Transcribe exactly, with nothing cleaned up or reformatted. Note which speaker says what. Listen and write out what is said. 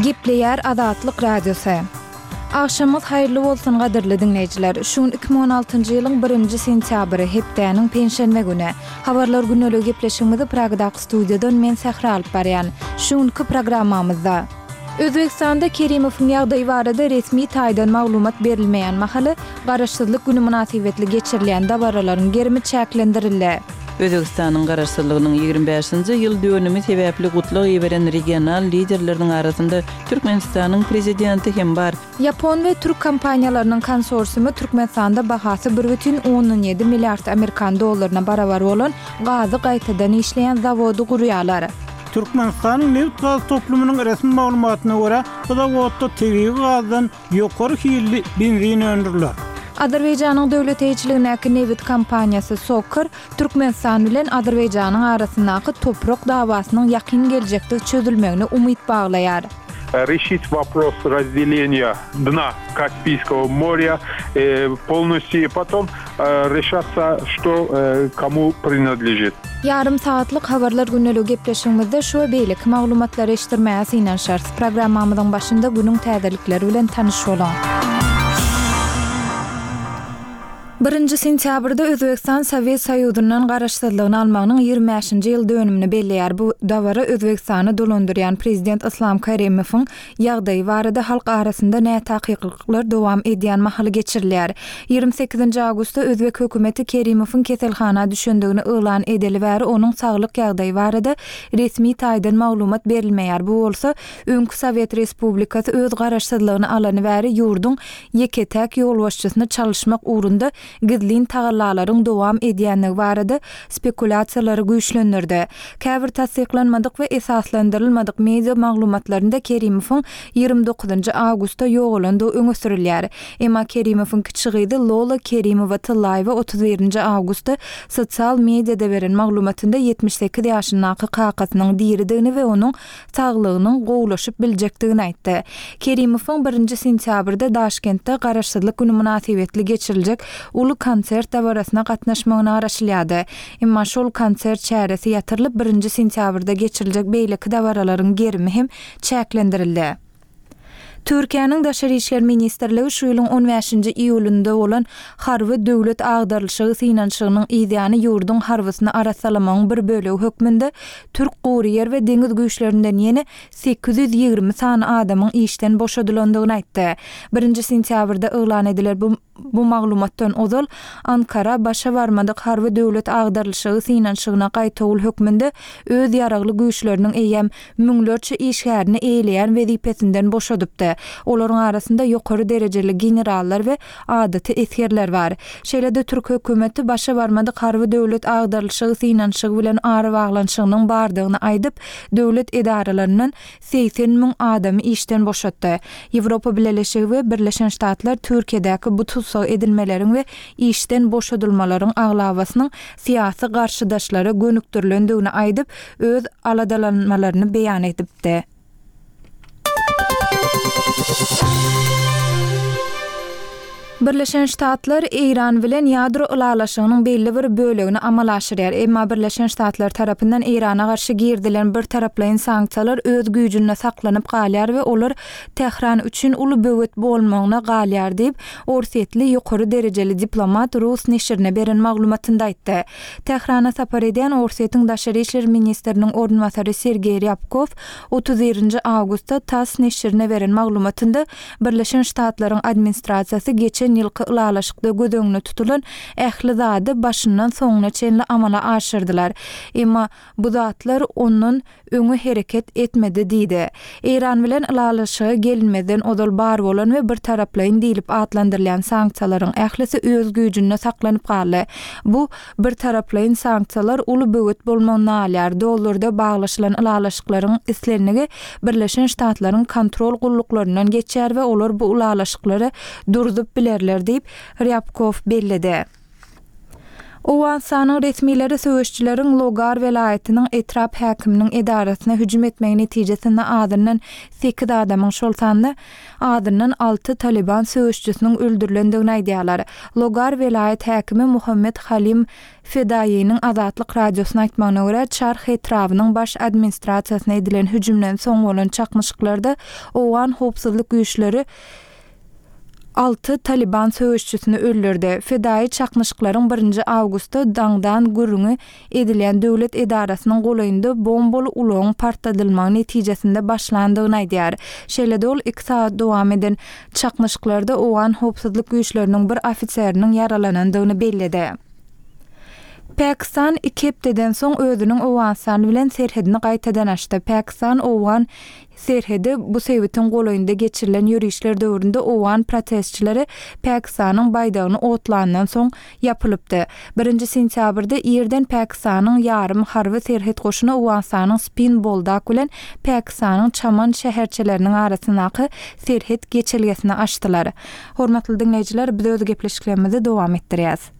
Speaker 1: Gepleýär Azatlyk Radiosy. Agşamyňyz haýyrly bolsun gadyrly diňleýjiler. Şu gün iki müň on altynjy ýylyň birinji sentýabry, hepdäniň penşenbe güni. Habarlar gündeligi gepleşigimizi Pragadaky studiýadan men Sähra alyp barýan. Şu günki programmamyzda Özbegistanda Kerimowyň ýagdaýy barada resmi taýdan maglumat berilmeýän mahaly Garaşsyzlyk güni mynasybetli geçirilýän dabaralaryň gerimi çäklendirildi.
Speaker 2: Özbegistanyň garaşsyzlygynyň ýigrimi bäşinji ýyl dönümi sebäpli gutlag iberen regional liderleriniň arasynda Türkmenistanyň prezidenti hem bar.
Speaker 1: Ýapon we türk kompaniýalarynyň konsorsiumy Türkmenistanda bahasy bir bütin ondan ýedi milliard amerikan dollaryna barabar bolan gazy gaýtadan işleýän zawody gurýarlar.
Speaker 3: Türkmenistanyň nebit gaz toplumynyň resmi maglumatyna görä, bu zawodda tebigy gazdan ýokary hilli benzin öndüriler.
Speaker 1: Azerbaýjanyň döwlet eýeçiligindäki nebit kompaniýasy SOCAR Türkmenistan bilen Azerbaýjanyň arasyndaky toprak dawasynyň ýakyn geljekde çözülmegine umyt baglaýar.
Speaker 4: Решить вопрос разделения дна Каспийского моря, э, полностью и потом, э, решаться, что, э, кому принадлежит.
Speaker 1: Ýarym sagatlyk habarlar gündeligi gepleşigimizde şu we beýleki maglumatlary eşitdirmäge synanyşarys. Programmamyzyň başynda günüň täzelikleri bilen tanyş boluň. Birinji sentýabrda Özbegistan Sowet Soýuzyndan garaşsyzlygyny almagynyň ýigrimi bäşinji ýyl dönümini belleýär. Bu dabara Özbegistany dolandyrýan prezident Islam Karimowyň ýagdaýy barada halk arasynda nätakyklyklar dowam edýän mahaly geçirilýär. Ýigrimi sekizinji awgustda Özbek hökümeti Kerimowyň keselhana düşendigini yglan edeli bäri onuň saglyk ýagdaýy barada resmi taýdan maglumat berilmeýär. Bu bolsa öňki Sowet Respublikasy öz garaşsyzlygyny alany bäri ýurduň ýeke-täk ýolbaşçysyny çalyşmak ugrunda gizlin tagallalaryň dowam edýänligi barada spekulýasiýalary güýçlendirdi. Käbir tassyklanmadyk we esaslandyrylmadyk media maglumatlarynda Kerimowyň ýigrimi dokuzynjy awgustda ýogalandygy öňe sürülýär. Emma Kerimowyň kiçi gyzy Lola Kerimowa Tyllaýewa otuz birinji awgustda sosial mediada beren maglumatynda ýetmiş sekiz ýaşyndaky kakasynyň diridigini we onuň saglygynyň gowulaşyp biljekdigini aýtdy. Kerimowyň birinji sentýabrda Daşkentde Garaşsyzlyk günü mynasybetli geçiriljek uly konsert dabarasyna gatnaşmagyna garaşylýardy. Emma şol konsert çäresi ýatyrylyp birinji sentýabrda geçiriljek beýleki dabaralaryň gerimi hem çäklendirildi. Türkiýäniň Daşary işler ministrligi şu ýylyň on bäşinji iýulynda bolan harby döwlet agdarylyşygy synanyşygynyň yzýany ýurduň harbysyny arassalamagyň bir bölegi hökmünde Türk gury ýer we deňiz güýçlerinden ýene sekiz ýüz ýigrimi sany adamyň işden boşadylandygyny aýtdy. Birinji sentýabrda yglan edilen bu, bu maglumatdan ozal Ankara başa barmadyk harby döwlet agdarylyşygy synanyşygyna gaýtawul hökmünde öz ýaragly güýçleriniň eýýäm müňlerçe işgärini eýleýän wezipesinden boşadypdy. Olaryň arasynda ýokary derejeli generallar we adaty esgerler bar. Şeýle-de Türk hökümeti başa barmadyk harby döwlet agdarylyşygy synanyşygy bilen arabaglanyşygynyň bardygyny aýdyp, döwlet edaralaryndan segsen müň adamy işden boşatdy. Ýewropa Bileleşigi we Birleşen Ştatlar Türkiýedäki bu tussag edilmeleriň we işden boşadylmalaryň aglabasynyň syýasy garşydaşlara gönükdirilendigini aýdyp, öz aladalanmalaryny beýan edipdi. Birleşen Ştatlar Eýran bilen ýadro ylalaşygynyň belli bir bölegini amala aşyrýar. Emma Birleşen Ştatlar tarapyndan Eýrana garşy girdilen bir taraplaýyn sanksiýalar öz güýjünde saklanyp galýar we olar Tähran üçin uly böwet bolmagyna galýar diýip, Orsýetli ýokary derejeli diplomat Rus neşirine beren maglumatynda aýtdy. Tährana sapar edýän Orsýetiň Daşary işler ministriniň orunbasary Sergeý Ryabkov otuz birinji awgustda TASS neşirine beren maglumatynda Birleşen Ştatlaryň administrasiýasy geçen ýylky ylalaşykda göz öňüne tutulan ähli zady başyndan soňuna çenli amala aşyrdylar. Emma bu zatlar ondan öňe hereket etmedi diýdi. Eýran bilen ylalaşyga gelinmezden ozal bar bolan we bir taraplaýyn diýlip atlandyrylýan sanksiýalaryň ählisi öz güýjünde saklanyp galdy. Bu bir taraplaýyn sanksiýalar uly böwet bolmagyny alýar. Dollarda baglaşylan ylalaşyklaryň islenligi Birleşen Ştatlaryň kontrol gulluklaryndan geçýär we olar bu ylalaşyklary durdup bilerler diýip Ryabkov belledi. Owganystanyň resmileri söweşçileriň Logar welaýatynyň etrap häkiminiň edarasyna hüjüm etmegi netijesinde azyndan sekiz adamyň, şol sanda azyndan alty Talyban söweşçisiniň öldürilendigini aýdýarlar. Logar welaýat häkimi Muhammet Halim Fedaýynyň Azatlyk Radiosyna aýtmagyna görä, Çarh etrabynyň baş administrasiýasyna edilen hüjümden soň bolan çaknyşyklarda owgan howpsuzlyk güýçleri alty Talyban söweşçisini öldürdi. Fedaýy çaknyşyklaryň birinji awgustda daňdan gürrüňi edilýän döwlet edarasynyň golaýynda bombaly ulagyň partladylmagy netijesinde başlandygyny aýdýar. Şeýle-de ol iki sagat dowam eden çaknyşyklarda owgan howpsuzlyk güýçleriniň bir ofiseriniň ýaralanandygyny belledi. Pakistan iki hepdeden soň özüniň Owganystan bilen serhedini gaýtadan açdy. Pakistan-Owgan serhedi bu sebitiň golaýynda geçirilen ýörişler döwründe owgan protestçileri Pakistanyň baýdagyny otlandan soň ýapylypdy. Birinji sentýabrda irden Pakistanyň ýarym harby serhet goşuny Owganystanyň Spin Boldak bilen Pakistanyň Çaman şäherçeleriniň arasyndaky serhet geçelgesini açdylar. Hormatly diňleýjiler, biz öz gepleşiklerimizi dowam etdirýäs.